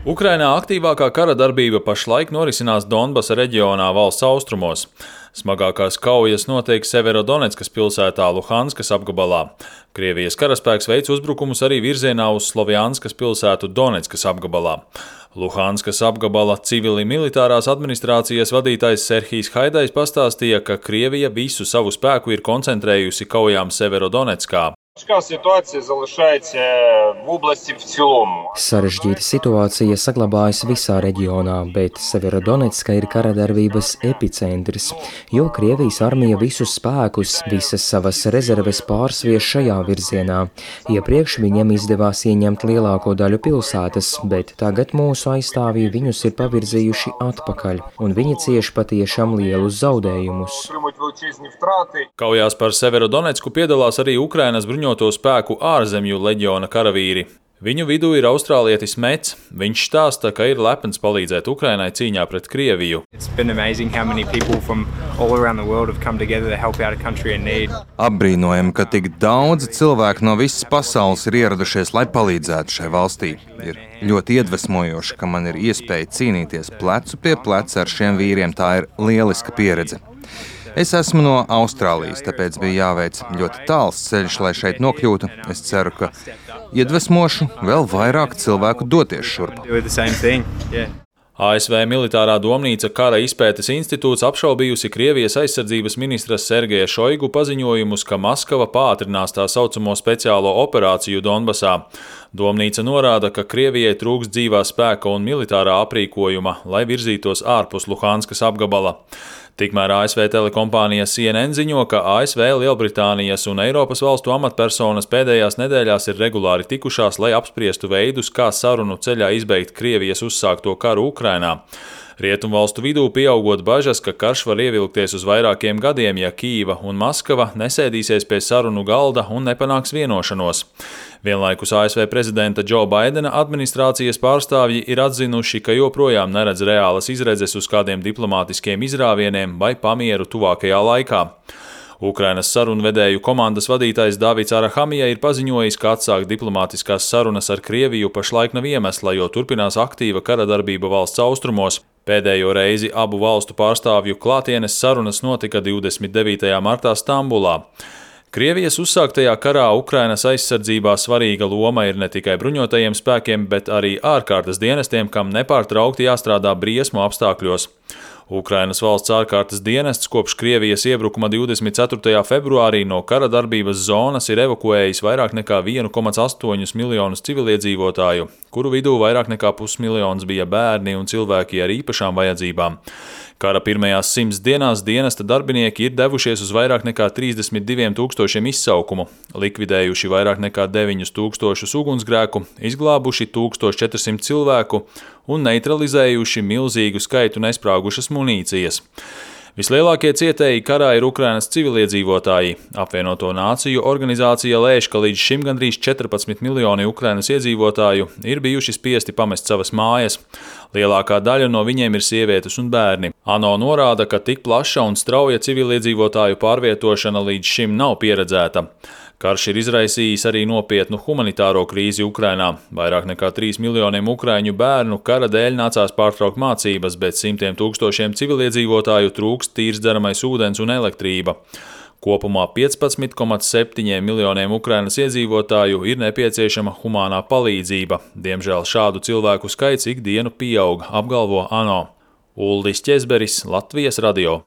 Ukrainā aktīvākā kara darbība pašlaik norisinās Donbasa reģionā valsts austrumos. Smagākās kaujas notiek Severodoneckas pilsētā Luhanskas apgabalā. Krievijas karaspēks veic uzbrukumus arī virzienā uz Slovjanskas pilsētu Doneckas apgabalā. Luhanskas apgabala civili militārās administrācijas vadītājs Serhijs Haidajs pastāstīja, ka Krievija visu savu spēku ir koncentrējusi kaujām Severodonetskā. Sarežģīta situācija saglabājas visā reģionā, bet Severodonecka ir kara darbības epicentrs, jo Krievijas armija visus spēkus, visas savas rezerves pārsvieš šajā virzienā. Iepriekš viņiem izdevās ieņemt lielāko daļu pilsētas, bet tagad mūsu aizstāvji viņus ir pavirzījuši atpakaļ, un viņi cieš patiešām lielus zaudējumus. Kaujās par Severodonecku piedalās arī Ukrainas bruņoto spēku ārzemju leģiona karavīri. Viņu vidū ir austrālietis Mets. Viņš stāsta, ka ir lepns palīdzēt Ukrainai cīņā pret Krieviju. Apbrīnojami, ka tik daudz cilvēku no visas pasaules ir ieradušies, lai palīdzētu šai valstī. Ir ļoti iedvesmojoši, ka man ir iespēja cīnīties plecu pie pleca ar šiem vīriem. Tā ir lieliska pieredze. Es esmu no Austrālijas, tāpēc bija jāveic ļoti tāls ceļš, lai šeit nokļūtu. Es ceru, ka iedvesmošu vēl vairāk cilvēku doties šurp. ASV militārā domnīca Kara izpētes institūts apšaubījusi Krievijas aizsardzības ministras Sergeja Šoigu paziņojumus, ka Maskava pātrinās tā saucamo speciālo operāciju Donbasā. Domnīca norāda, ka Krievijai trūkst dzīvā spēka un militārā aprīkojuma, lai virzītos ārpus Luhanskas apgabala. Tikmēr ASV telekompānija CNN ziņo, ka ASV, Lielbritānijas un Eiropas valstu amatpersonas pēdējās nedēļās ir regulāri tikušās, lai apspriestu veidus, kā sarunu ceļā izbeigt Krievijas uzsākto karu Ukrainā. Rietumvalstu vidū pieaugot bažas, ka karš var ievilkties uz vairākiem gadiem, ja Kīva un Maskava nesēdīsies pie sarunu galda un nepanāks vienošanos. Vienlaikus ASV prezidenta Džo Baidena administrācijas pārstāvji ir atzinuši, ka joprojām neredz reālas izredzes uz kādiem diplomātiskiem izrāvieniem vai pamieru tuvākajā laikā. Ukrainas sarunvedēju komandas vadītājs Davids Arahamija ir paziņojis, ka atsākt diplomātiskās sarunas ar Krieviju pašlaik nav iemesla, jo turpinās aktīva kara darbība valsts austrumos. Pēdējo reizi abu valstu pārstāvju klātienes sarunas notika 29. martā Stambulā. Krievijas uzsāktajā karā Ukrainas aizsardzībā svarīga loma ir ne tikai bruņotajiem spēkiem, bet arī ārkārtas dienestiem, kam nepārtraukti jāstrādā briesmu apstākļos. Ukrainas valsts ārkārtas dienests kopš Krievijas iebrukuma 24. februārī no kara darbības zonas ir evakuējis vairāk nekā 1,8 miljonus civiliedzīvotāju, kuru vidū vairāk nekā pusmiljons bija bērni un cilvēki ar īpašām vajadzībām. Kara pirmajās 100 dienās dienesta darbinieki ir devušies uz vairāk nekā 32 000 izsaukumu, likvidējuši vairāk nekā 9 000 ugunsgrēku, izglābuši 1400 cilvēku un neutralizējuši milzīgu skaitu nesprāgušas munīcijas. Vislielākie cietēji karā ir Ukrainas civiliedzīvotāji. Apvienoto nāciju organizācija lēš, ka līdz šim gandrīz 14 miljoni Ukrainas iedzīvotāju ir bijuši spiesti pamest savas mājas. Lielākā daļa no viņiem ir sievietes un bērni. ANO norāda, ka tik plaša un strauja civiliedzīvotāju pārvietošana līdz šim nav pieredzēta. Karš ir izraisījis arī nopietnu humanitāro krīzi Ukrainā. Vairāk nekā 3 miljoniem ukraiņu bērnu kara dēļ nācās pārtraukt mācības, bet simtiem tūkstošiem civiliedzīvotāju trūkst tīrs dzeramais ūdens un elektrība. Kopumā 15,7 miljoniem Ukrainas iedzīvotāju ir nepieciešama humānā palīdzība. Diemžēl šādu cilvēku skaits ikdienu pieaug, apgalvo ANO. Uldis Ķezberis, Latvijas radio.